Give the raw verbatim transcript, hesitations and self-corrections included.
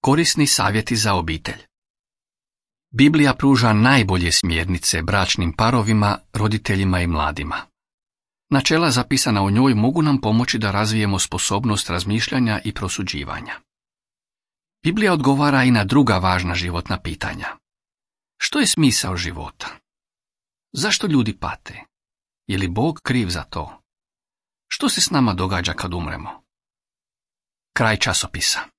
Korisni savjeti za obitelj. Biblija pruža najbolje smjernice bračnim parovima, roditeljima i mladima. Načela zapisana u njoj mogu nam pomoći da razvijemo sposobnost razmišljanja i prosuđivanja. Biblija odgovara i na druga važna životna pitanja. Što je smisao života? Zašto ljudi pate? Je li Bog kriv za to? Što se s nama događa kad umremo? Kraj časopisa.